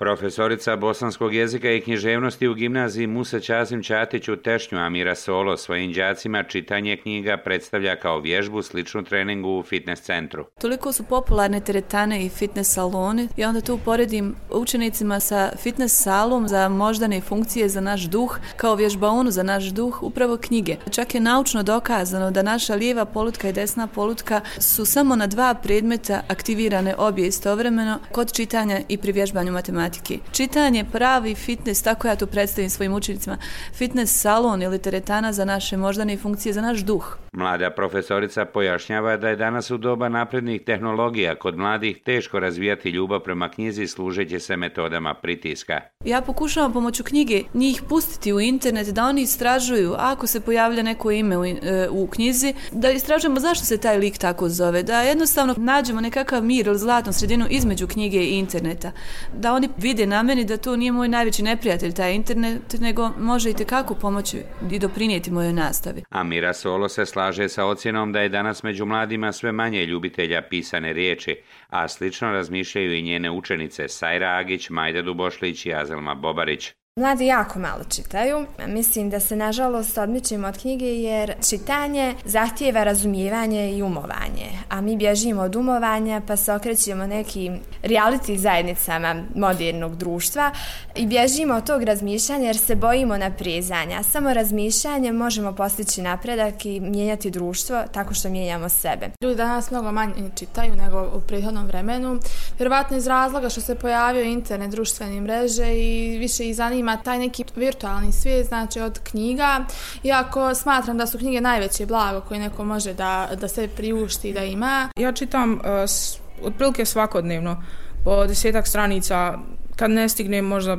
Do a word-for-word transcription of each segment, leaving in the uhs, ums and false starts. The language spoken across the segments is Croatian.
Profesorica bosanskog jezika i književnosti u gimnaziji Musa Ćazim Ćatić u Tešnju Amira Solo svojim đacima čitanje knjiga predstavlja kao vježbu sličnu treningu u fitness centru. Toliko su popularne teretane i fitness saloni i onda tu uporedim učenicima sa fitness salom za moždane funkcije za naš duh, kao vježbaonu za naš duh, upravo knjige. Čak je naučno dokazano da naša lijeva polutka i desna polutka su samo na dva predmeta aktivirane obje istovremeno kod čitanja i pri vježbanju matematike. Čitanje, pravi fitness, tako ja to predstavim svojim učenicima, fitness salon ili teretana za naše moždane funkcije, za naš duh. Mlada profesorica pojašnjava da je danas u doba naprednih tehnologija kod mladih teško razvijati ljubav prema knjizi služeći se metodama pritiska. Ja pokušavam pomoću knjige njih pustiti u internet, da oni istražuju, ako se pojavlja neko ime u, u knjizi, da istražujemo zašto se taj lik tako zove, da jednostavno nađemo nekakav mir ili zlatnu sredinu između knjige i interneta, da oni vide na meni da to nije moj najveći neprijatelj taj internet, nego može i tekako pomoći i doprinijeti mojoj nastavi. Amira Solo se slaže sa ocjenom da je danas među mladima sve manje ljubitelja pisane riječi, a slično razmišljaju i njene učenice Sajra Agić, Majda Dubošlić i Azelma Bobarić. Mladi jako malo čitaju. Mislim da se nažalost odmičimo od knjige jer čitanje zahtijeva razumijevanje i umovanje, a mi bježimo od umovanja pa se okrećemo nekim reality zajednicama modernog društva i bježimo od tog razmišljanja jer se bojimo naprezanja. Samo razmišljanjem možemo postići napredak i mijenjati društvo tako što mijenjamo sebe. Ljudi danas mnogo manje čitaju nego u prethodnom vremenu, vjerovatno iz razloga što se pojavio internet, društvene mreže i više ih zanima taj neki virtualni svijet, znači od knjiga, iako smatram da su knjige najveće blago koje neko može da, da se priušti da ima. Ja čitam uh, s, otprilike svakodnevno po desetak stranica, kad ne stignem možda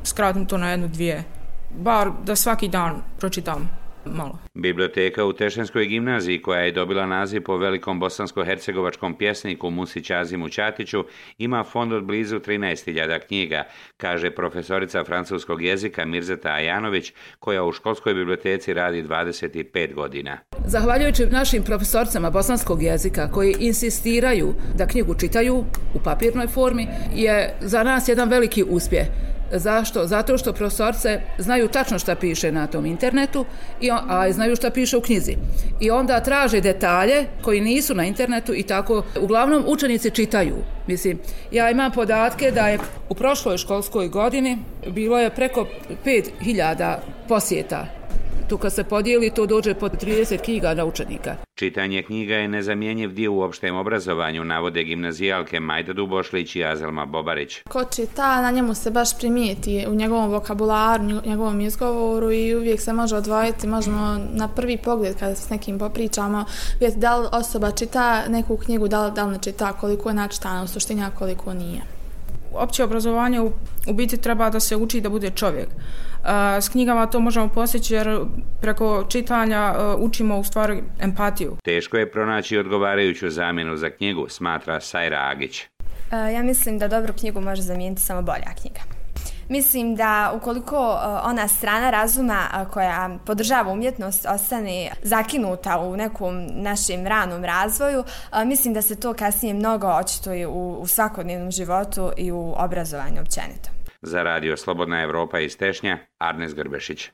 skratim to na jednu, dvije, bar da svaki dan pročitam malo. Biblioteka u Tešenskoj gimnaziji, koja je dobila naziv po velikom bosansko-hercegovačkom pjesniku Musi Ćazimu Ćatiću, ima fond od blizu trinaest hiljada knjiga, kaže profesorica francuskog jezika Mirzeta Ajanović, koja u školskoj biblioteci radi dvadeset pet godina. Zahvaljujući našim profesorcama bosanskog jezika koji insistiraju da knjigu čitaju u papirnoj formi, je za nas jedan veliki uspjeh. Zašto? Zato što profesorce znaju tačno šta piše na tom internetu, i on, a znaju šta piše u knjizi. I onda traže detalje koji nisu na internetu i tako uglavnom učenici čitaju. Mislim, ja imam podatke da je u prošloj školskoj godini bilo je preko pet hiljada posjeta. Tu kad se podijeli, to dođe pod trideset knjiga na učenika. Čitanje knjiga je nezamjenjiv dio u opštem obrazovanju, navode gimnazijalke Majda Dubošlić i Azelma Bobarić. Ko čita, na njemu se baš primijeti u njegovom vokabularu, njegovom izgovoru i uvijek se može odvojiti, možemo na prvi pogled kada s nekim popričamo vidjeti da li osoba čita neku knjigu, da li, da li ne čita, koliko je načitana u suštini, a koliko nije. Opće obrazovanje u, u biti treba da se uči da bude čovjek. A, s knjigama to možemo postići jer preko čitanja a, učimo u stvari empatiju. Teško je pronaći odgovarajuću zamjenu za knjigu, smatra Sajra Agić. Ja mislim da dobru knjigu može zamijeniti samo bolja knjiga. Mislim da ukoliko ona strana razuma koja podržava umjetnost ostane zakinuta u nekom našem ranom razvoju, mislim da se to kasnije mnogo očituje u, u svakodnevnom životu i u obrazovanju općenito. Za radio Slobodna Evropa iz Tešnja, Arnes Grbešić.